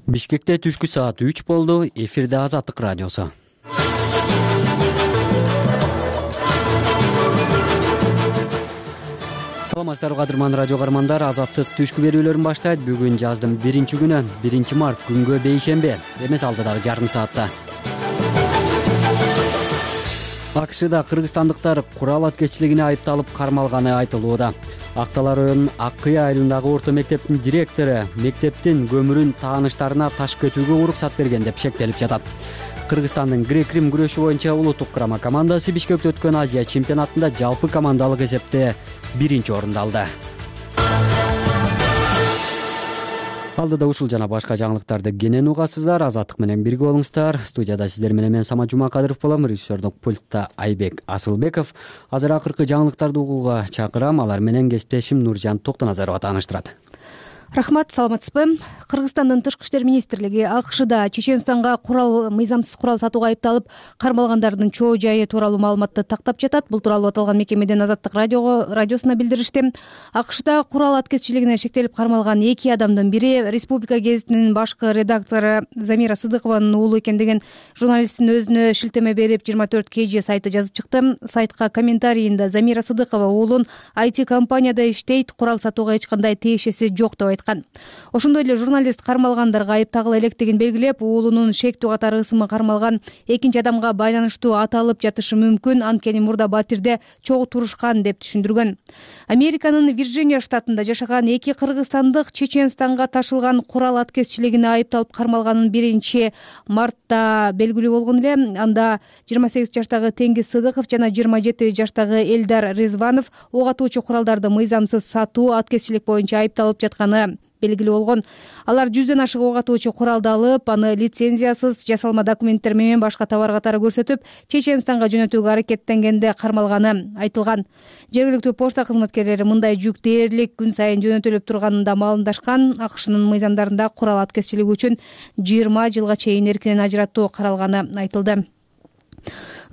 Бишкекте түшкү саат 3 болду. Эфирде Азаттык радиосу. Саламатсыздарбы кадырман радио каармандар. Азаттык түшкү берүүлөрүн баштайт. Бүгүн жаздын 1-күнү, 1 март күнгө бейшембе. Эмес алдыдагы жарым саатта. АКШда кыргызстандыктар курал аткеччилигине айыпталып кармалганы айтылууда. Актала районунун Ак Кыя айылындагы орто мектептин директору мектептин көмүрүн тааныштарына ташып кетүүгө уруксат берген деп шектелип жатат. Кыргызстандын грек-рим күрөшү боюнча улуттук курама командасы Бишкекте өткөн Азия чемпионатында жалпы командалык эсепте 1-орунду алды. Алдыда ушул жана башка жаңылыктарды кенен угасыздар. Азаттык менен бирге болуңуздар. Студияда сиздер менен мен Самат Жумакадыров болом. Режиссердук пультта Айбек Асылбеков. Азыр акыркы жаңылыктарды угууга чакырам. Алар менен кесиптешим Нуржан Токтоназарова тааныштырат. Рахмат, саламатсызбы? Кыргызстандын тышкы иштер министрлиги АКШда Чеченстанга мыйзамсыз курал сатууга айыпталып кармалгандардын чоо жайы тууралуу маалыматты тактап жатат. Бул тууралуу аталган мекемеден Азаттык радиосуна билдиришти. АКШда курал аткеччилигине шектелип кармалган 2 адамдын бири Республика гезитинин башкы редактору Замира Сыдыкованын уулу экендигин журналисттин өзүнө шилтеме берип 24KG сайты жазып чыкты. Сайтка комментарийинде Замира Сыдыкова уулун IT компанияда иштейт, курал сатууга эч кандай тиешеси жок деп айткан. Ошондой эле журналист кармалгандарга айып тагыла электигин белгилеп, уулунун шектүү катары ысымы кармалган экинчи адамга байланыштуу аталып жатышы мүмкүн, анткени мурда батирде чогуу турушкан деп түшүндүргөн. Американын Вирджиния штатында жашаган 2 кыргызстандык Чеченстанга ташылган курал аткеччилигине айыпталып кармалганын 1-мартта белгилүү болгон эле. Анда 28 жаштагы Теңиз Сыдыков жана 27 жаштагы Элдар Резванов ок атуучу куралдарды мыйзамсыз сатуу, аткеччилик боюнча айыпталып жатканы белгилүү болгон. Алар 100дөн ашык ок атуучу куралды алып, аны лицензиясыз жасалма документтер менен башка товар катары көрсөтүп, Чеченстанга жөнөтүүгө аракеттенгенде кармалганы айтылган. Жергиликтүү почта кызматкерлери мындай жүк дээрлик күн сайын жөнөтүлүп турганында маалымдашкан. АКШнын мыйзамдарында курал аткеччилиги үчүн 20 жылга чейин эркинен ажыраттоо каралганы айтылды.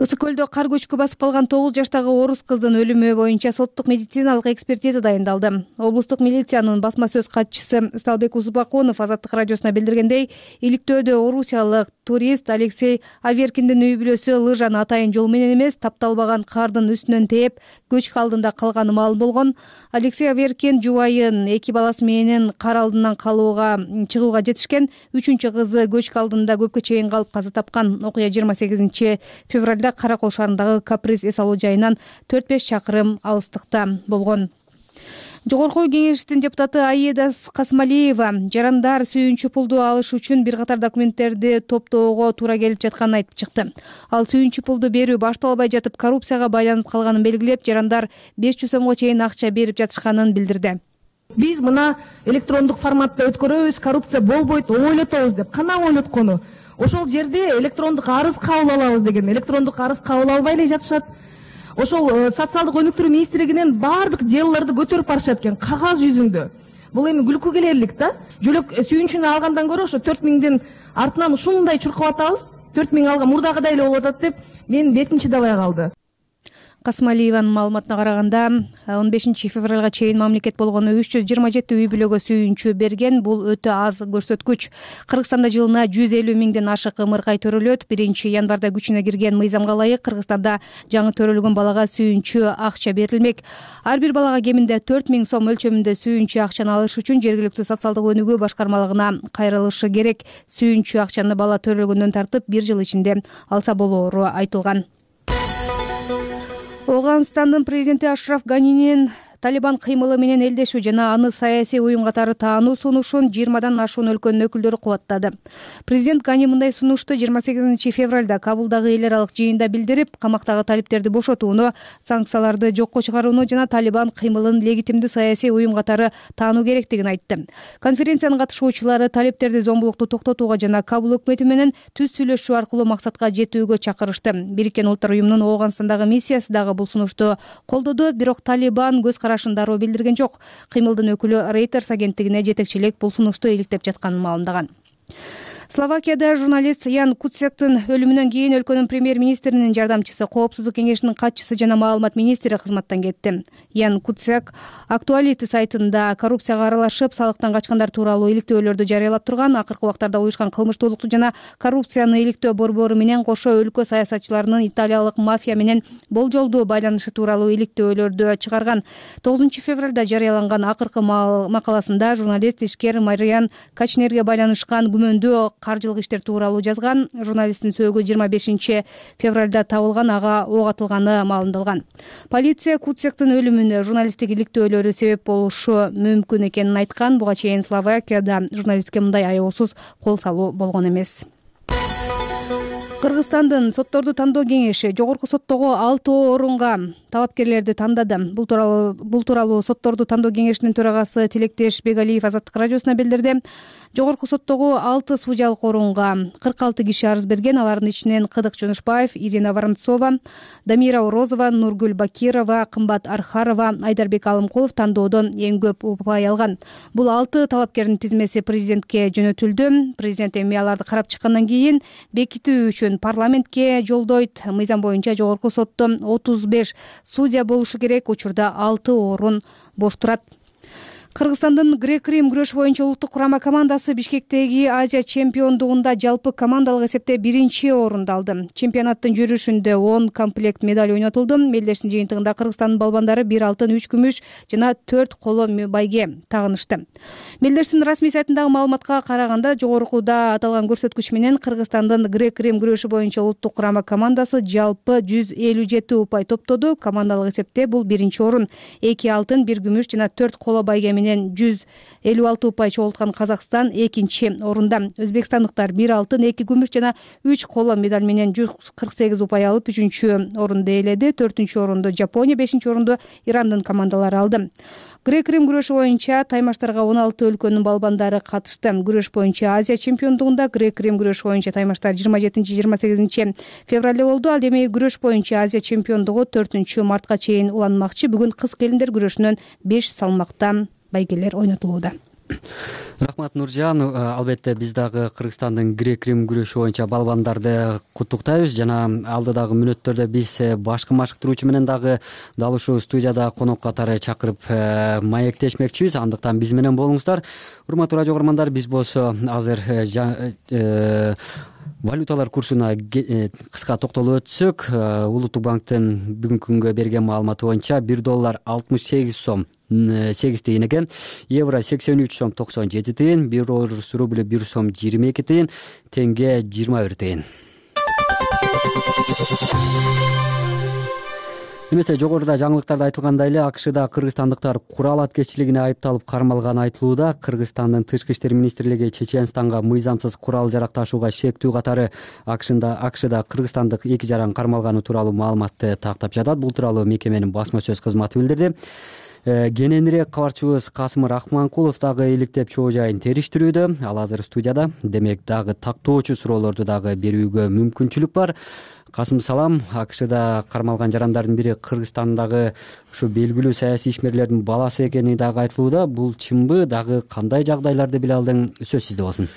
Ысык көлдө кар көчкү басып калган 9 жаштагы орус кыздын өлүмү боюнча соттук медициналык экспертиза дайындалды. Облустук милициянын басма сөз катчысы Сталбек Узбаконов Азаттык радиосуна билдиргендей, иликтөөдө орусиялык турист Алексей Аверкиндин үй бүлөсү лыжаны атайын жол менен эмес, тапталбаган кардын үстүнөн тээп, көчкү алдында калганы маалым болгон. Алексей Аверкин жубайын 2 баласы менен кар алдынан чыгууга жетишкен. 3-чү кызы көчкү алдында көпкө чейин калып каза тапкан. Окуя 28 февралда Каракол шаарындагы Каприз эс алуу жайынан 4-5 чакырым алыстыкта болгон. Жогорку кеңештин депутаты Аида Касмалиева жарандар сүйүнчү пулду алыш үчүн бир катар документтерди топтоого туура келип жатканын айтып чыкты. Ал сүйүнчү пулду берүү башталбай жатып коррупцияга байланып калганын белгилеп, жарандар 500 сомго чейин акча берип жатышканын билдирди. Биз мына электрондук форматта өткөрөбүз, коррупция болбойт, оңойлотобуз деп кана оңойлоткону. Ошол жерде электрондук арыз кабыл алабыз деген, электрондук арыз кабыл албай эле жатышат. Ошол социалдык өнүктүрүү министрлигинен баардык делолорду көтөрүп барышат экен кагаз жүзүндө. Бул эми күлкү келерлик да. Жөлөк сүйүнчүнү алгандан көрө ошо 4000дин артынан ушундай чуркап атабыз. 4000 алган мурдагыдай эле болуп атат деп менин бетим чыдабай калды. Касмалиеванын маалыматына караганда 15 февралга чейин мамлекет болгону 327 үй бүлөгө сүйүнчү берген. Бул өтө аз көрсөткүч. Кыргызстанда жылына 150 миңден ашык ымыркай төрөлөт. 1-январда күчүнө кирген мыйзамга ылайык Кыргызстанда жаңы төрөлгөн балага сүйүнчү акча берилмек. Ар бир балага кеминде 4000 сом өлчөмүндө сүйүнчү акчаны алыш үчүн жергиликтүү социалдык өнүгүү башкармалыгына кайрылышы керек. Сүйүнчү акчаны бала төрөлгөндөн тартып 1 жыл ичинде алса болоору айтылган. Ооганстандын президенти Ашраф Ганинин Талибан кыймылы менен элдешүү жана аны саясий уюм катары таануу сунушун 20дан ашуун өлкөнүн өкүлдөрү кубаттады. Президент Гани мындай сунушту 28 февралда Кабулдагы эл аралык жыйында билдирип, камактагы талиптерди бошотууну, санкцияларды жокко чыгарууну жана Талибан кыймылын легитимдүү саясий уюм катары таануу керектигин айтты. Конференциянын катышуучулары талиптерди зомбулукту токтотууга жана Кабул өкмөтү менен түз сүйлөшүү аркылуу максатка жетүүгө чакырышты. Бириккен Улуттар уюмунун Ооганстандагы миссиясы дагы бул сунушту колдоду, бирок Талибан көз карашын дароо билдирген жок. Кыймылдын өкүлү Reuters агенттигине жетекчилик бул сунушту иликтеп жатканын маалымдаган. Словакияда журналист Ян Куцяктын өлүмүнөн кийин өлкөнүн премьер-министринин жардамчысы, коопсуздук кеңешинин катчысы жана маалымат министри кызматтан кетти. Ян Куцяк Актуалити сайтында коррупцияга аралашып, салыктан качкандар тууралуу иликтөөлөрдү жарыялап турган, акыркы убактарда уюшкан кылмыштуулукту жана коррупцияны иликтөө борбору менен кошо өлкө саясатчыларынын италиялык мафия менен болжолдуу байланышы тууралуу иликтөөлөрдү чыгарган. 9 февралда жарыяланган акыркы макаласында журналист ишкер Мариан Качнерге байланышкан күмөндүү каржылык иштер тууралуу жазган. Журналисттин сөөгү 25 февралда табылган, ага ок атылганы маалымдалган. Полиция Куцяктын өлүмүнө журналисттик иликтөөлөрү себеп болушу мүмкүн экенин айткан. Буга чейин Словакияда журналистке мындай аеосуз кол салуу болгон эмес. Кыргызстандын сотторду тандоо кеңеши жогорку соттогу 6 орунга талапкерлерди тандады. Бул тууралуу сотторду тандоо кеңешинин төрагасы Тилектеш Бегалиев Азаттык радиосуна билдирди. Жогорку соттогу 6 судьялык орунга 46 киши арыз берген. Алардын ичинен Кыдык Жонушбаев, Ирина Воронцова, Дамира Орозова, Нургүл Бакирова, Кымбат Архарова, Айдарбек Алымкулов тандоодон эң көп упай алган. Бул 6 талапкердин тизмеси президентке жөнөтүлдү. Президент эми аларды карап чыккандан кийин бекитүү үчүн парламентке жолдойт. Мыйзам боюнча жогорку сотто 35 судья болушу керек. Учурда 6 орун бош турат. Кыргызстандын грек-рим күрөш боюнча улуттук курама командасы Бишкектеги Азия чемпиондугунда жалпы командалык эсепте 1-орунду алды. Чемпионаттын жүрүшүндө 10 комплект медаль ойнотулду. Мелдештин жыйынтыгында Кыргызстандын балбандары 1 алтын, 3 күмүш жана 4 коло байге тагынышты. Мелдештин расмий сайтындагы маалыматка караганда, жогорукуда аталган көрсөткүч менен Кыргызстандын грек-рим күрөшү боюнча улуттук курама командасы жалпы 157 упай топтоду. Командалык эсепте бул 1-орун. 2 алтын, 1 күмүш жана 4 коло байге менен 156 упай чогулткан Казакстан 2-орунда. Өзбекстандыктар 1 алтын, 2 күмүш жана 3 коло медаль менен 148 упай алып 3-орунду ээледи. 4-орунду Жапония, 5-орунду Ирандын командалары алды. Грек-рим күрөшү боюнча таймаштарга 16 өлкөнүн балбандары катышты. Күрөш боюнча Азия чемпиондугунда грек-рим күрөшү боюнча таймаштар 27-28 февралда болду. Ал эми күрөш боюнча Азия чемпиондугу 4-мартка чейин уланмакчы. Бүгүн кыз келиндер күрөшүнөн 5 салмакта байгелер ойнотулууда. Рахмат, Нуржан. Албетте биз дагы Кыргызстандын грек-рим күрөшү боюнча балбандарды куттуктайбыз жана алдыдагы мүнөттөрдө биз башкы машыктыруучу менен дагы дал ушул студияда конок катары чакырып маектешмекчибиз. Андыктан биз менен болуңуздар. Урматтуу радио угармандар, биз болсо азыр валюталар курсуна кыска токтолуп өтсөк, Улуттук банктын бүгүнкү күнгө берген маалыматы боюнча $1 68 сом 8 тыйын экен, евро 83 сом 97 тыйын, 1 орус рубль 1 сом 22 тыйын, тенге 21 тыйын. Эмесе жогоруда жаңылыктарда айтылгандай эле АКШда кыргызстандыктар курал аткеччилигине айыпталып кармалганы айтылууда. Кыргызстандын Тышкы иштер министрлиги Чеченстанга мыйзамсыз курал жарак ташууга шектүү катары АКШда кыргызстандык 2 жаран кармалганы тууралуу маалыматты тактап жатат. Бул тууралуу мекеменин басма сөз кызматы билдирди. Кененирээк кабарчыбыз Касым Рахманкулов дагы иликтеп чоо жайын териштирүүдө. Ал азыр студияда. Демек дагы тактоочу суроолорду дагы берүүгө мүмкүнчүлүк бар. Касым, салам. АКШда кармалган жарандардын бири Кыргызстандагы ушу белгилүү саясий ишмерлердин баласы экени дагы айтылууда. Бул чынбы? Дагы кандай жагдайларды биле алдың? Сөз сизде болсун.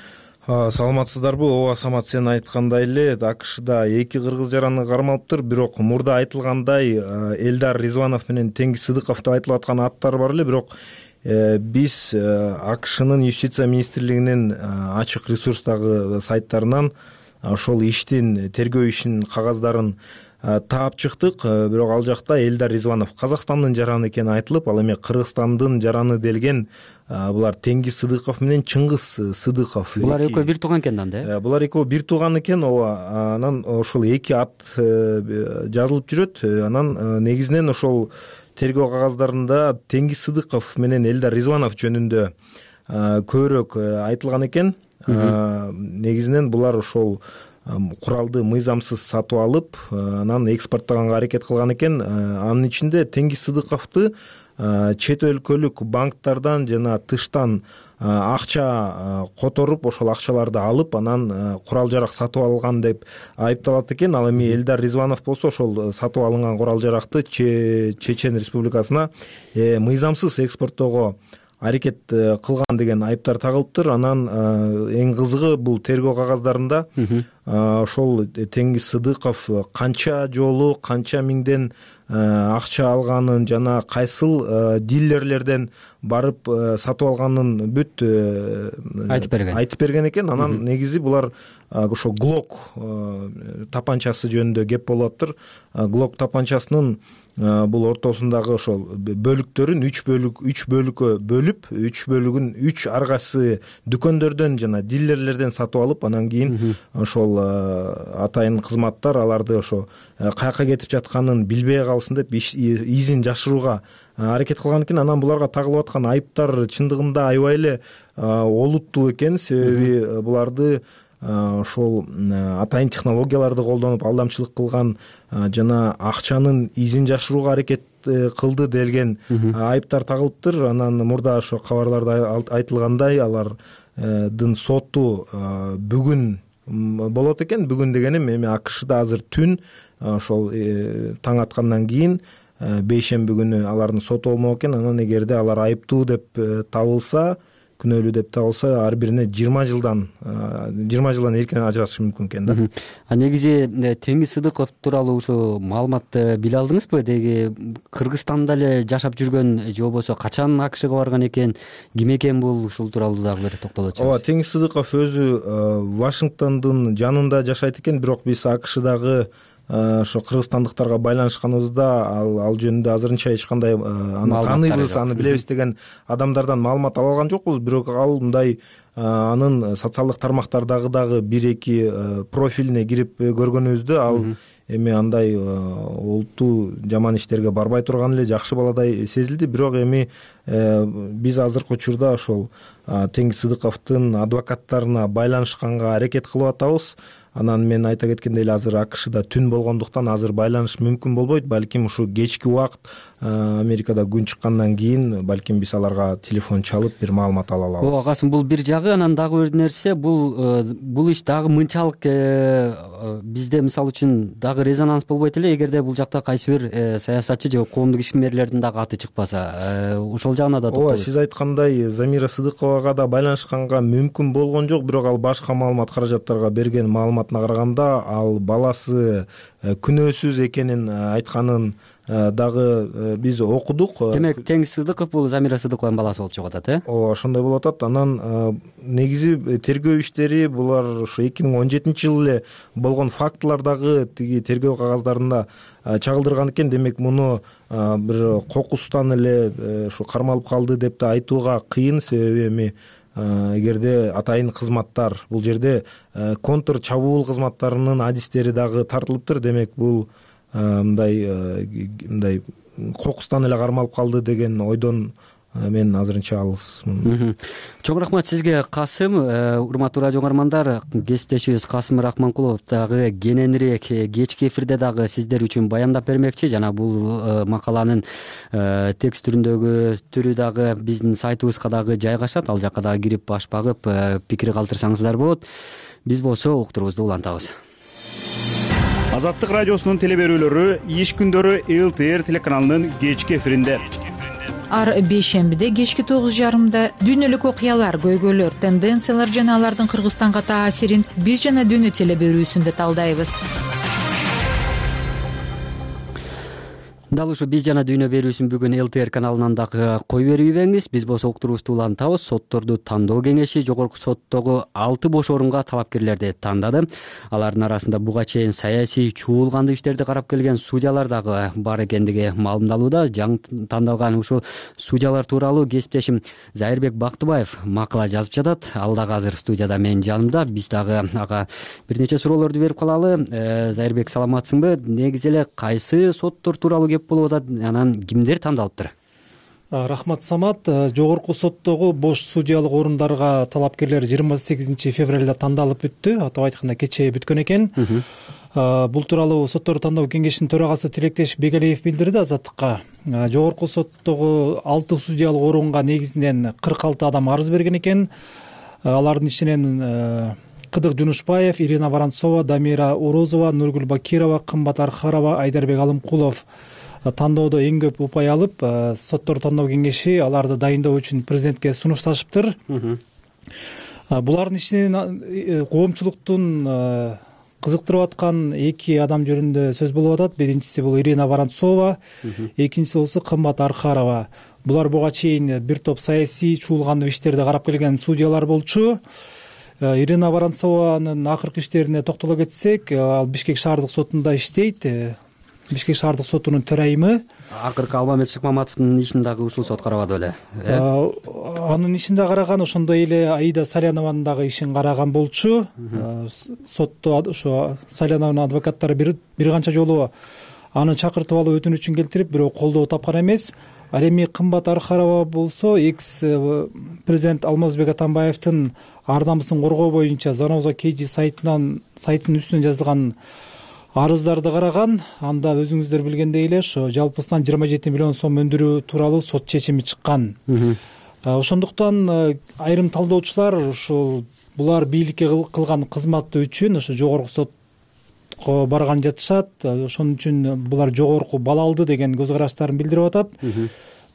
Саламатсыздарбы? Ооба, Самат, сен айткандай эле АКШда 2 кыргыз жараны кармалыптыр. Бирок мурда айтылгандай Элдар Ризванов менен Теңиз Сыдыков деп айтылып аткан аттар бар эле. Бирок биз АКШнын юстиция министрлигинин ачык ресурстагы сайттарынан ошол иштин, тергөө ишинин кагаздарын таап чыктык. Бирок ал жакта Элдар Ризванов Казакстандын жараны экени айтылып, ал эми Кыргызстандын жараны делген булар Теңиз Сыдыков менен Чыңгыз Сыдыков. Булар экөө бир тууган экен да? Булар экөө бир тууган экен. Ооба. Анан ошол 2 ат жазылып жүрөт. Анан негизинен ошол тергөө кагаздарында Теңиз Сыдыков менен Элдар Ризванов жөнүндө көбүрөөк айтылган экен. Негизинен булар ошол куралды мыйзамсыз сатып алып, анан экспорттоганга аракет кылган экен. Анын ичинде Теңиз Сыдыковду чет өлкөлүк банктардан жана тыштан акча которуп, ошол акчаларды алып, анан курал жарак сатып алган деп айыпталат экен. Ал эми Элдар Ризванов болсо ошол сатып алынган курал жаракты Чечен Республикасына мыйзамсыз экспорттоого аракет кылган деген айыптар тагылыптыр. Анан эң кызыгы бул тергөө кагаздарында ошол Теңиз Сыдыков канча жолу канча миңден акча алганын жана кайсыл дилерлерден барып сатып алганын бүт айтып берген экен. Анан негизи булар ошо Глок тапанчасы жөнүндө кеп болуп атыптыр. Глок тапанчасынын бул ортосундагы ошол бөлүктөрүн 3 бөлүккө бөлүп, 3 бөлүгүн 3 ар кайсы дүкөндөрдөн жана дилерлерден сатып алып, анан кийин ошол атайын кызматтар аларды ошо каяка кетип жатканын билбей калсын деп изин жашырууга аракет кылган экен. Анан буларга тагылып аткан айыптар чындыгында аябай эле олуттуу экен. Себеби буларды ошол атайын технологияларды колдонуп алдамчылык кылган жана акчанын изин жашырууга аракет кылды делген айыптар тагылыптыр. Анан мурда ошо кабарларда айтылгандай алардын соту бүгүн болот экен. Бүгүн дегеним эми АКШда азыр түн ошол таң аткандан кийин бейшемби күнү алардын соту болмок экен. Анан эгерде алар айыптуу деп табылса, күнөөлүү деп табылса, ар бирине 20 жылдан эркин ажырашышы мүмкүн экен да. Негизи Теңиз Сыдыков тууралуу ушул маалыматты биле алдыңызбы? Деги Кыргызстанда эле жашап жүргөн же болбосо качан АКШга барган экен, ким экен бул? Ушул тууралуу дагы бир токтолуп өтсөңүз. Ооба, Теңиз Сыдыков өзү Вашингтондун жанында жашайт экен, бирок биз АКШдагы ошо кыргызстандыктарга байланышканыбызда ал жөнүндө азырынча эч кандай аны тааныйбыз, аны билебиз деген адамдардан маалымат ала алган жокпуз. Бирок ал мындай анын социалдык тармактардагы дагы 1-2 профилине кирип көргөнүбүздө ал эми андай олуттуу жаман иштерге барбай турган эле жакшы баладай сезилди. Бирок эми биз азыркы учурда ошол Теңиз Сыдыковдун адвокаттарына байланышканга аракет кылып атабыз. Анан мен айта кеткендей эле азыр АКШда түн болгондуктан азыр байланыш мүмкүн болбойт. Балким ушу кечки убакыт Америкада күн чыккандан кийин балким биз аларга телефон чалып бир маалымат ала алабыз. Ооба, Касым, бул бир жагы. Анан дагы бир нерсе, бул иш дагы мынчалык бизде мисалы үчүн дагы резонанс болбойт эле эгерде бул жакта кайсы бир саясатчы же коомдук ишмерлердин дагы аты чыкпаса. Ошол жагына да токтолот. Ооба, сиз айткандай Замира Сыдыковага да байланышканга мүмкүн болгон жок, бирок ал башка маалымат каражаттарга берген маалыматына караганда ал баласы күнөөсүз экенин айтканын дагы биз окудук. Демек Теңиз Сыдыков бул Замира Сыдыковдун баласы болуп чыгып атат, Ооба, ошондой болуп атат. Анан негизи тергөө иштери булар ошо 2017-жылы эле болгон фактылар дагы тиги тергөө кагаздарында чагылдырган экен. Демек муну бир кокустан эле ушу кармалып калды деп да айтууга кыйын. Себеби эми эгерде атайын кызматтар, бул жерде контр чабуул кызматтарынын адистери дагы тартылыптыр. Демек бул мындай кокустан эле кармалып калды деген ойдон мен азырынча алысмын. Чоң рахмат сизге, Касым. Урматтуу радио угармандар, кесиптешибиз Касым Рахманкулов дагы кененирээк кечки эфирде дагы сиздер үчүн баяндап бермекчи. Жана бул макаланын текст түрү дагы биздин сайтыбызга дагы жайгашат. Ал жакка дагы кирип баш багып пикир калтырсаңыздар болот. Биз болсо уктуруубузду улантабыз. Азаттык радиосунун телеберүүлөрү иш күндөрү ЛТР телеканалынын кечки эфиринде. Ар бейшембиде кечки 9:30 дүйнөлүк окуялар, көйгөйлөр, тенденциялар жана алардын Кыргызстанга таасирин биз жана дүйнө телеберүүсүндө талдайбыз. Дал ушу биз жана дүйнө берүүсүн бүгүн ЛТР каналынан дагы кой бербейбеңиз. Биз болсо уктуруубузду улантабыз. Сотторду тандоо кеңеши жогорку соттогу 6 бош орунга талапкерлерди тандады. Алардын арасында буга чейин саясий чуулганды иштерди карап келген судьялар дагы бар экендиги маалымдалууда. Жаңы тандалган ушул судьялар тууралуу кесиптешим Зайырбек Бактыбаев макала жазып жатат. Ал дагы азыр студияда менин жанымда. Биз дагы ага бир нече суроолорду берип калалы. Зайырбек, саламатсыңбы? Негизи эле кайсы соттор тууралуу болуп атат, анан кимдер тандалыптыр? Рахмат, Самат. Жогорку соттогу бош судьялык орундарга талапкерлер 28 февралда тандалып бүттү. Атап айтканда кечээ бүткөн экен. Бул тууралуу сотторду тандоо кеңешинин төрагасы Тилектеш Бегалиев билдирди Азаттыкка. Жогорку соттогу 6 судьялык орунга негизинен 46 адам арыз берген экен. Алардын ичинен Кыдык Жунушбаев, Ирина Воронцова, Дамира Урозова, Нургүл Бакирова, Кымбат Архарова, Айдарбек Алымкулов тандоодо эң көп упай алып, сотторду тандоо кеңеши аларды дайындоо үчүн президентке сунушташыптыр. Булардын ичинен коомчулуктун кызыктырып аткан эки адам жөнүндө сөз болуп атат. Биринчиси бул Ирина Воронцова, экинчиси болсо Кымбат Архарова. Булар буга чейин бир топ саясий чуулгандуу иштерди карап келген судьялар болчу. Ирина Воронцованын акыркы иштерине токтоло кетсек, ал Бишкек шаардык сотунда иштейт. Бишкек шаардык сотунун төрайымы. Акыркы Алмамет Шыкмаматовдун ишин дагы ушул сот карабады беле? Анын ишин да караган, ошондой эле Аида Салянованын дагы ишин караган болчу. Сотто ошо Салянованын адвокаттары бир канча жолу аны чакыртып алып өтүнүчүн келтирип, бирок колдоо тапкан эмес. Ал эми Кымбат Архарова болсо экс президент Алмазбек Атамбаевдин ар намысын коргоо боюнча Заноза KG сайтынын үстүнөн жазылган арыздарды караган. Анда өзүңүздөр билгендей эле ошо жалпысынан 27 миллион сом өндүрүү тууралуу сот чечими чыккан. Ошондуктан айрым талдоочулар ушул булар бийликке кылган кызматы үчүн ошо жогорку сотко барган жатышат. Ошон үчүн булар жогорку бала алды деген көз караштарын билдирип атат.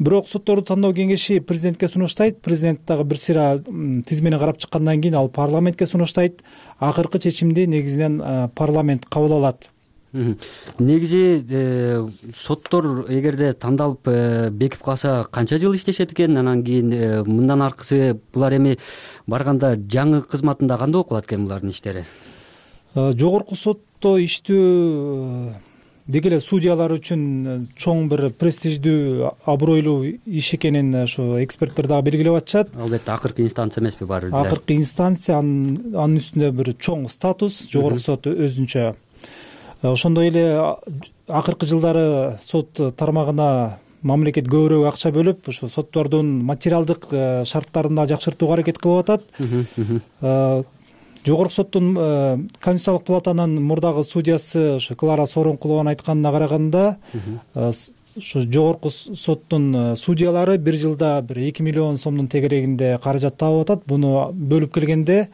Бирок сотторду тандоо кеңеши президентке сунуштайт. Президент дагы бир сыйра тизмени карап чыккандан кийин ал парламентке сунуштайт. Акыркы чечимди негизинен парламент кабыл алат. Негизи соттор эгерде тандалып бекип калса канча жыл иштешет экен? Анан кийин мындан аркысы булар эми барганда жаңы кызматында кандай окулат экен булардын иштери? Жогорку сотто иштөө деги эле судьялар үчүн чоң бир престиждүү, абройлуу иш экенин ошо эксперттер дагы белгилеп атышат. Албетте акыркы инстанция эмеспи баары эле? Акыркы инстанция, анын үстүндө бир чоң статус, жогорку сот өзүнчө. Ошондой эле акыркы жылдары сот тармагына мамлекет көбүрөөк акча бөлүп, ошо соттордун материалдык шарттарын да жакшыртууга аракет кылып атат. Жогорку соттун Конституциялык палатанын мурдагы судьясы ошо Клара Сооронкулованын айтканына караганда, ошо жогорку соттун судьялары бир жылда бир 2 миллион сомдун тегерегинде каражат таап атат. Буну бөлүп келгенде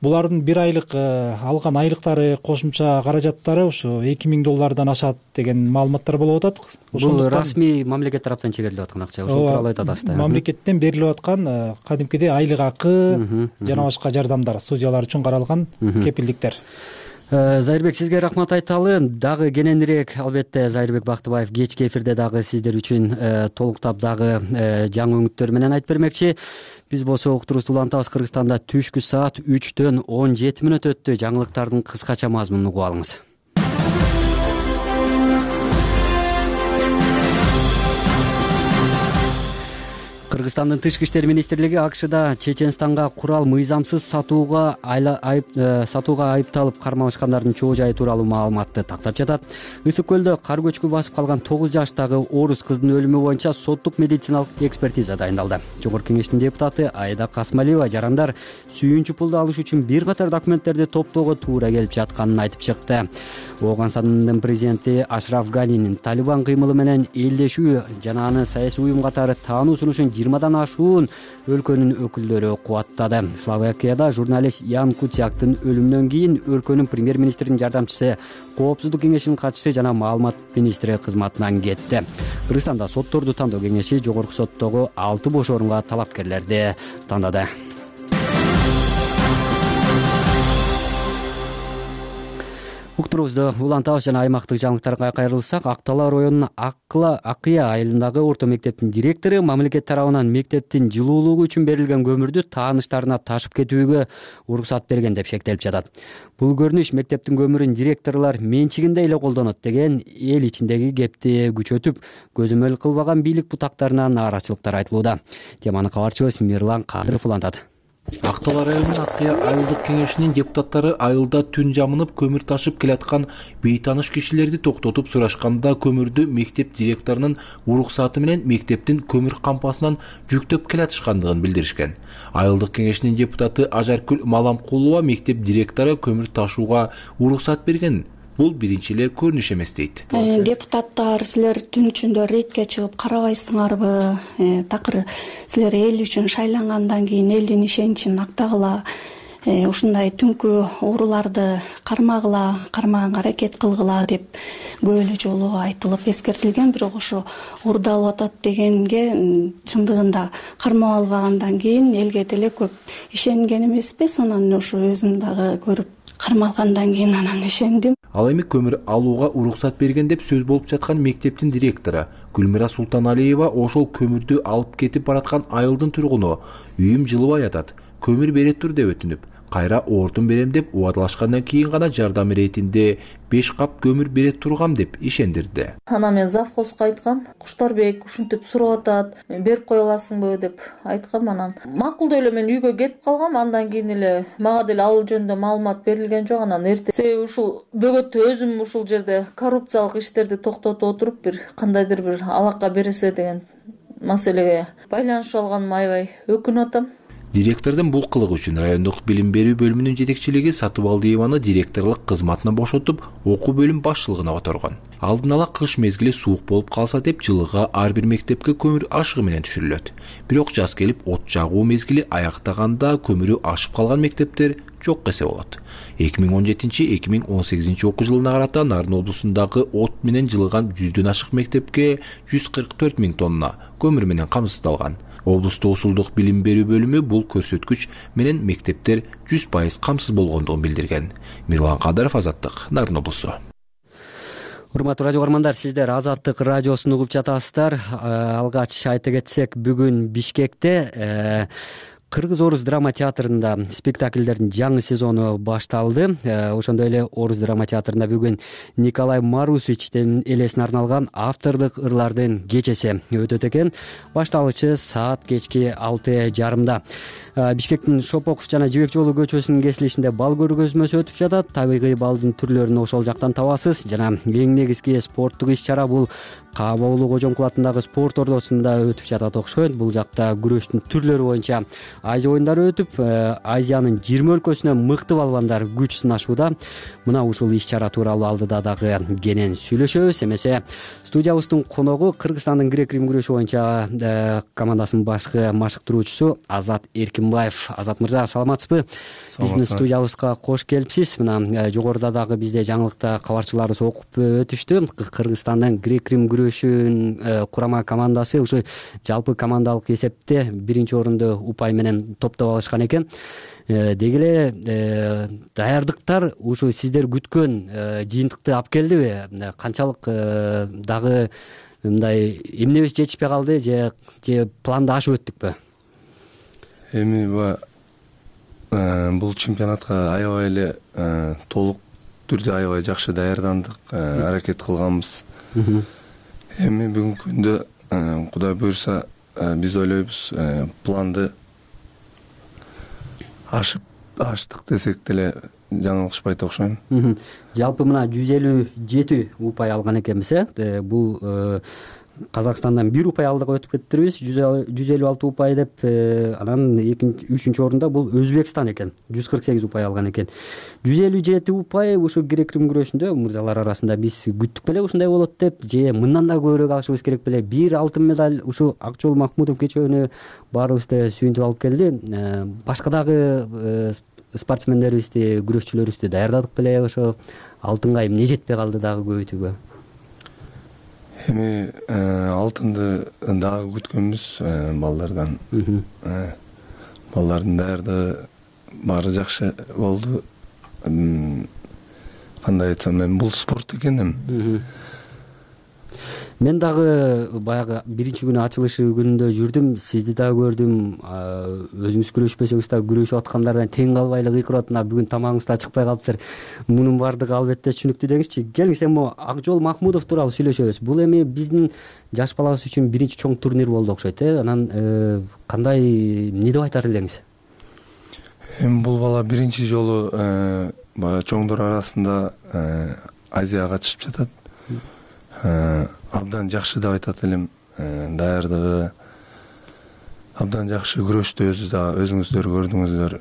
булардын бир айлык алган айлыктары, кошумча каражаттары ошо 2000 доллардан ашат деген маалыматтар болуп атат. Бул расмий мамлекет тараптан чегерилип аткан акча, ошол тууралуу айтат аста. Мамлекеттен берилип аткан кадимкидей айлык акы жана башка жардамдар, судьялар үчүн каралган кепилдиктер. Зайырбек, сизге рахмат айталы. Дагы кененирээк албетте Зайырбек Бактыбаев кечки эфирде дагы сиздер үчүн толуктап дагы жаңы өңүттөр менен айтып бермекчи. Биз болсо уктуруубузду улантабыз. Кыргызстанда түшкү саат 3-төн 17 мүнөт өттү. Жаңылыктардын кыскача мазмунун угуп алыңыз. Кыргызстандын тышкы иштер министрлиги АКШда Чеченстанга курал мыйзамсыз сатууга айыпталып кармалышкандардын чоо жайы тууралуу маалыматты тактап жатат. Ысык көлдө кар көчкү басып калган 9 жаштагы орус кыздын өлүмү боюнча соттук медициналык экспертиза дайындалды. Жогорку кеңештин депутаты Айда Касмалиева жарандар сүйүнчү пулду алыш үчүн бир катар документтерди топтоого туура келип жатканын айтып чыкты. Ооганстандын президенти Ашраф Ганинин Талибан кыймылы менен элдешүү жана аны саясий уюм катары таануу сунушун 20дан ашуун өлкөнүн өкүлдөрү кубаттады. Словакияда журналист Ян Куцяктын өлүмүнөн кийин өлкөнүн премьер-министринин жардамчысы, коопсуздук кеңешинин катчысы жана маалымат министри кызматынан кетти. Кыргызстанда сотторду тандоо кеңеши жогорку соттогу 6 бош орунга талапкерлерди тандады. Уктуруубузду улантабыз жана аймактык жаңылыктарга кайрылсак, Ак Талаа районунун Акыя айылындагы орто мектептин директору мамлекет тарабынан мектептин жылуулугу үчүн берилген көмүрдү тааныштарына ташып кетүүгө уруксат берген деп шектелип жатат. Бул көрүнүш мектептин көмүрүн директорлор менчигинде эле колдонот деген эл ичиндеги кепти күчөтүп, көзөмөл кылбаган бийлик бутактарына нааразычылыктар айтылууда. Теманы кабарчыбыз Мирлан Кадыров улантат. Ак Талаа районунун Акыя айылдык кеңешинин депутаттары айылда түн жамынып көмүр ташып келаткан бейтааныш кишилерди токтотуп сурашканда көмүрдү мектеп директорунун уруксаты менен мектептин көмүр кампасынан жүктөп келатышкандыгын билдиришкен. Айылдык кеңешинин депутаты Ажаркүл Маламкулова мектеп директору көмүр ташууга уруксат берген. Бул биринчи эле көрүнүш эмес дейт. Депутаттар, силер түн ичинде рейдке чыгып карабайсыңарбы? Такыр силер эл үчүн шайлангандан кийин элдин ишеничин актагыла ушундай түнкү ооруларды кармаганга аракет кылгыла деп көп эле жолу айтылып эскертилген. Бирок ошо уурдалып атат дегенге чындыгында кармап албагандан кийин элге деле көп ишенген эмеспиз. Анан ошо өзүм дагы көрүп кармалгандан кийин анан ишендим. Ал эми көмүр алууга уруксат берген деп сөз болуп жаткан мектептин директору Гүлмира Султаналиева ошол көмүрдү алып кетип бараткан айылдын тургуну үйүм жылыбай атат, көмүр бере тур деп өтүнүп, кайра оортун берем деп убадалашкандан кийин гана жардам иретинде 5 кап көмүр бере тургам деп ишендирди. Анан мен завхозго айткам, Куштарбек ушинтип сурап атат, берип кое аласыңбы деп айткам. Анан макулдуу эле мен үйгө кетип калгам. Андан кийин эле мага деле ал жөнүндө маалымат берилген жок. Анан эртең себеби ушул бөгөттө өзүм ушул жерде коррупциялык иштерди токтотуп отуруп бир кандайдыр бир алакка бересе деген маселеге байланышып алганыма аябай өкүнүп атам. Директордун бул кылыгы үчүн райондук билим берүү бөлүмүнүн жетекчилиги Сатыбалдиеваны директорлук кызматынан бошотуп, окуу бөлүм башчылыгына которгон. Алдын ала кыш мезгили суук болуп калса деп жылыга ар бир мектепке көмүр ашыгы менен түшүрүлөт. Бирок жаз келип от жагуу мезгили аяктаганда көмүрү ашып калган мектептер жок десе болот. 2017-2018 окуу жылына карата Нарын облусундагы от менен жылыган 100дөн ашык мектепке 144 000 тонна көмүр менен камсыздалган. Облустук усулдук билим берүү бөлүмү бул көрсөткүч менен мектептер 100% камсыз болгондугун билдирген. Мирлан Кадыров, Азаттык, Нарын облусу. Урматтуу радио көрөрмандар, сиздер Азаттык радиосун угуп жатасыздар. Алгач айта кетсек, бүгүн Бишкекте Кыргыз-Орус драма театрында спектакльдердин жаңы сезону башталды. Ошондой эле Орус драма театрында бүгүн Николай Марусовичтин элесине арналган автордук ырлардын кечеси өтөт экен. Башталышы саат кечки 6:30. Бишкектин Шопоков жана Жибек жолу көчөсүнүн кесилишинде бал көргөзмөсү өтүп жатат. Табигый балдын түрлөрүн ошол жактан табасыз. Жана эң негизги спорттук иш-чара бул Кабаулу Кожомкул атындагы спорт ордосунда өтүп жатат окшойт. Бул жакта күрөштүн түрлөрү боюнча Азия оюндары өтүп, Азиянын 20 өлкөсүнөн мыкты балбандар күч сынашууда. Мына ушул иш-чара тууралуу алдыда дагы кенен сүйлөшөбүз. Эмесе студиябыздын коногу Кыргызстандын грек-рим күрөшү боюнча командасынын башкы машыктыруучусу Азат Эркинбаев. Азат мырза, саламатсызбы? Биздин студиябызга кош келипсиз. Мына жогоруда дагы бизде жаңылыкта кабарчыларыбыз окуп өтүштү. Кыргызстандын грек-рим күрөшүнүн курама командасы ушу жалпы командалык эсепте 1-орунду упай менен топтоп алышкан экен. Деги эле даярдыктар ушу сиздер күткөн жыйынтыкты алып келдиби? Канчалык дагы мындай эмнебиз жетишпей калды же планды ашып өттүкпү? Эми бул чемпионатка аябай эле толук түрдө аябай жакшы даярдандык, аракет кылганбыз. Эми бүгүнкү күндө Кудай буйрса биз ойлойбуз, планды аштык десек деле жаңылышпайт окшойм. Жалпы мына 157 упай алган экенбиз, бул Казакстандан 1 упай алдык өтүп кеттирбиз, 156 упай деп. Анан 3-үчүнчү орунда бул Өзбекстан экен, 148 упай алган экен. 157 упай ушу грек-рим күрөшүндө мырзалар арасында биз күттүк беле ушундай болот деп, же мындан да көбүрөөк алышыбыз керек беле? 1 алтын медаль ушу Акжол Махмудов кечөөнү баарыбызды сүйүнтүп алып келди. Башка дагы спортсмендерибизди, күрөшчүлөрүбүздү даярдадык беле? Ошо алтынга эмне жетпей калды дагы көбүйтүүгө? Эми алтынды дагы күткөнбүз балдардан. Балдардын даярдыгы баары жакшы болду. Кандай айтсам, мен бул спорт экеним. Мен дагы баягы 1-күнү ачылышы күнүндө жүрдүм, сизди дагы көрдүм. Өзүңүз күрөшпөсөңүз да күрөшүп аткандардан тең калбай эле кыйкырып атат. Бүгүн тамагыңыз да чыкпай калыптыр. Мунун баардыгы албетте түшүнүктүү деңизчи. Келиңиз эми Акжол Махмудов тууралуу сүйлөшөбүз. Бул эми биздин жаш балабыз үчүн биринчи чоң турнир болду окшойт. Анан кандай эмне деп айтар элеңиз? Эми бул бала биринчи жолу баягы чоңдор арасында Азияга чыгып жатат. Абдан жакшы деп айтат элем. Даярдыгы абдан жакшы, күрөштү өзүңүздөр көрдүңүздөр.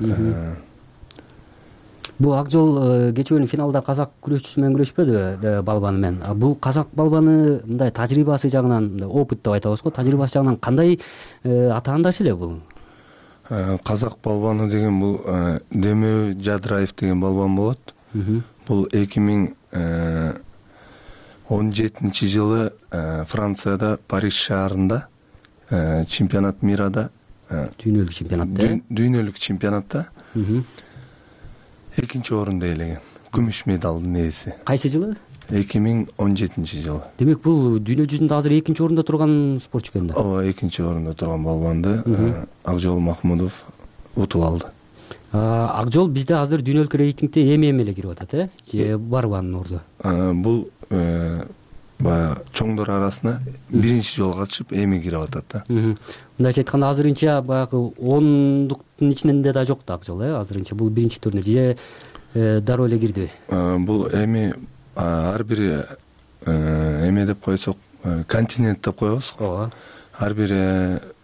Бул Акжол кечүүнүн финалда казак күрөшчүсү менен күрөшпөдүбү, балбаны менен? Бул казак балбаны мындай тажрыйбасы жагынан, опыт деп айтабыз го, тажрыйбасы жагынан кандай атаандаш эле бул? казак балбаны деген бул Демөө Жадыраев деген балбан болот. Бул 2017 жылы Францияда Париж шаарында чемпионат мирада дүйнөлүк чемпионатта экинчи орунду ээлеген, күмүш медалдын ээси. Кайсы жылы? 2017 жылы. Демек бул дүйнө жүзүндө азыр экинчи орунда турган спортчу экен да. Ооба, экинчи орунда турган балбанды Акжол Махмудов утуп алды. Акжол бизде азыр дүйнөлүк рейтингде эми эле кирип атат, же барбы анын орду? Бул баягы чоңдор арасына биринчи жолу катышып эми кирип атат да. Мындайча айтканда азырынча баягы 10-дуктун ичинде да жок да Акжол, азырынча бул биринчи турнир же дароо эле кирдиби? Бул эми ар бири эме деп койсок, континент деп коебуз. Ооба. Ар бир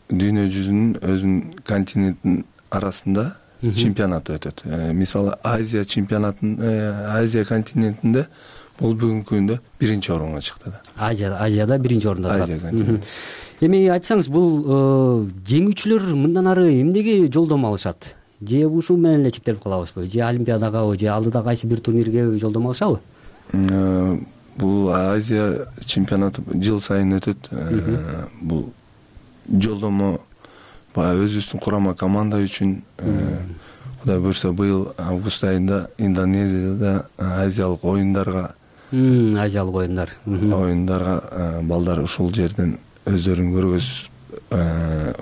дүйнө жүзүнүн өзүнүн континенттин арасында чемпионат өтөт. Мисалы Азия чемпионатын, Азия континентинде бул бүгүнкү күндө биринчи орунга чыкты да. Азияда биринчи орунда турат. Эми айтсаңыз, бул жеңүүчүлөр мындан ары эмнеге жолдомо алышат? Же ушул менен эле чектелип калабызбы? Же Олимпиадага, же алдыда кайсы бир турнирге жолдомо алышабы? Бул Азия чемпионаты жыл сайын өтөт. Бул жолдомо баягы өзүбүздүн курама команда үчүн, Кудай буйрса быйыл август айында Индонезияда азиялык оюндарга балдар ушул жерден өздөрүн көргөзүп,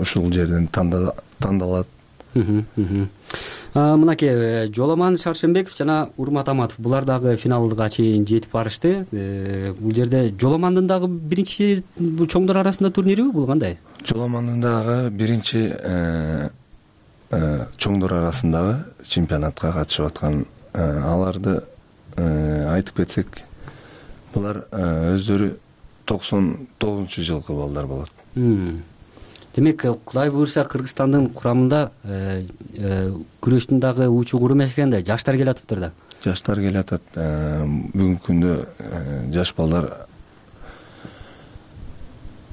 ушул жерден тандалат. Мынакей Жоломан Шаршембеков жана Урмат Аматов булар дагы финалга чейин жетип барышты. Бул жерде Жоломандын дагы биринчи чоңдор арасында турнириби, бул кандай? Жоломандын дагы биринчи чоңдор арасындагы чемпионатка катышып аткан. Аларды айтып кетсек, булар өздөрү 99-жылкы балдар болот. Демек, Кудай буйрса Кыргызстандын курамында күрөштүн дагы учу куру эмес экен да, жаштар келатыптыр да. Жаштар келатат. Бүгүнкү күндө жаш балдар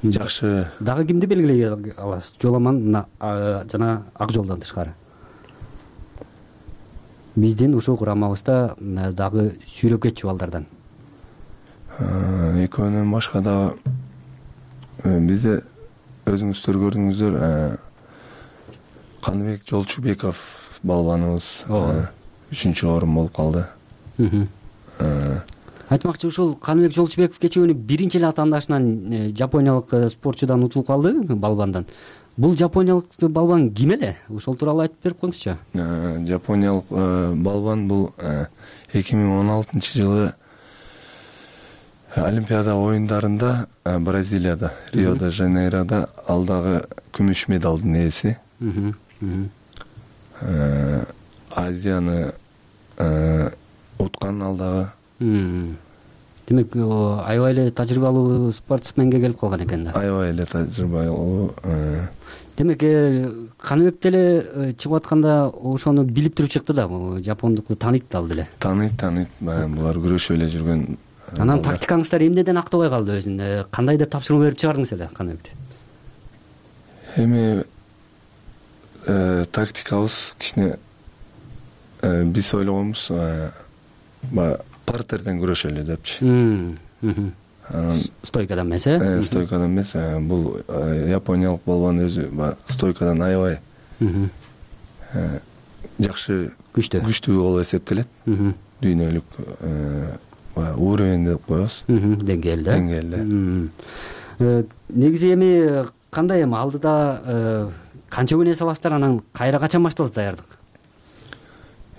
жакшы. Дагы кимди белгилей аласыз? Жоломан жана Акжолдон тышкары. Биздин ушул курамыбызда дагы сүйрөп кетчү балдардан. Экөөнөн башка дагы бизде өзүңүздөр көрдүңүздөр, Каныбек Жолчубеков балбаныбыз 3-орун болуп калды. Айтмакчы, ушул Каныбек Жолчубеков кечээ күнү биринчи эле атаандашынан жапониялык спортчудан утулуп калды, балбандан. Бул жапониялык балбан ким эле? Ошол тууралуу айтып берип коюңузчу. Жапониялык балбан бул 2016 жылы Олимпиада оюндарында Бразилияда, Рио-де-Жанейрода алдагы күмүш медалдын ээси. Азияны уткан алдагы. Демек, аябай эле тажрыйбалуу спортсменге келип калган экен да. Аябай эле тажрыйбалуу. Демек, Каныбек деле чыгып атканда ошону билип туруп чыкты да, жапондукту тааныйт ал деле. Тааныйт. Булар күрөшүп эле жүргөн. Анан тактикаңыздар эмнеден актабай калды өзүн? Кандай деп тапшырма берип чыгардыңыз эле Каныбекти? Эми тактикабыз кичине биз ойлогонбуз, партерден күрөшөлү депчи. Стойкадан эмес, Стойкадан эмес. Бул япониялык балбан өзү стойкадан аябай жакшы, күчтүү болуп эсептелет. Дүйнөлүк уровень деп коебуз. Деңгээлде. Негизи эми кандай, эми алдыда канча күн эс аласыздар, анан кайра качан башталат даярдык?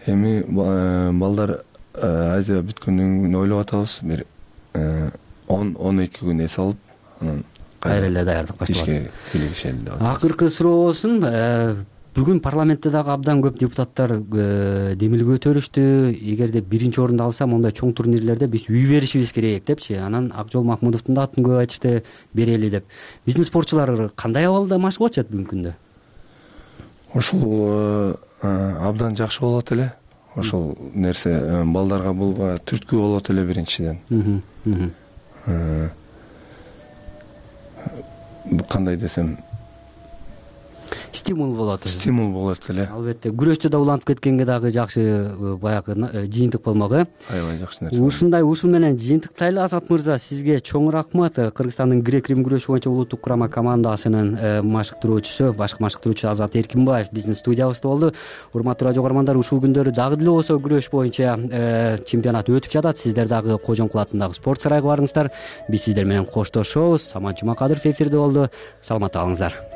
Эми балдар Азия бүткөндөн кийин ойлоп атабыз, бир 10-12 күн эс алып, анан кайра эле даярдык башталат. Ишке киришели деп атабыз. Акыркы суроо болсун, бүгүн парламентте дагы абдан көп депутаттар демилге көтөрүштү. Эгерде биринчи орунду алсам, ондай чоң турнирлерде биз үй беришибиз керек депчи. Анан Акжол Махмудовдун да атын көп айтышты, берели деп. Биздин спортчулар кандай абалда машыгып атышат бүгүнкү күндө? Ушул абдан жакшы болот эле. Ошол нерсе балдарга бул түрткү болот эле биринчиден. Кандай десем, стимул болот. Стимул болот эле. Албетте күрөштө да улантып кеткенге дагы жакшы баягы жыйынтык болмок Аябай жакшы нерсе. Ушул менен жыйынтыктайлы. Азат мырза, сизге чоң рахмат. Кыргызстандын грек-рим күрөшү боюнча улуттук курама командасынын машыктыруучусу, башкы машыктыруучу Азат Эркинбаев биздин студиябызда болду. Урматтуу радио көрөрмандар, ушул күндөрү дагы деле болсо күрөш боюнча чемпионат өтүп жатат. Сиздер дагы Кожоңкул атындагы спорт сарайга барыңыздар. Биз сиздер менен коштошобуз. Самат Жумакадыров эфирде болду. Саламатта калыңыздар.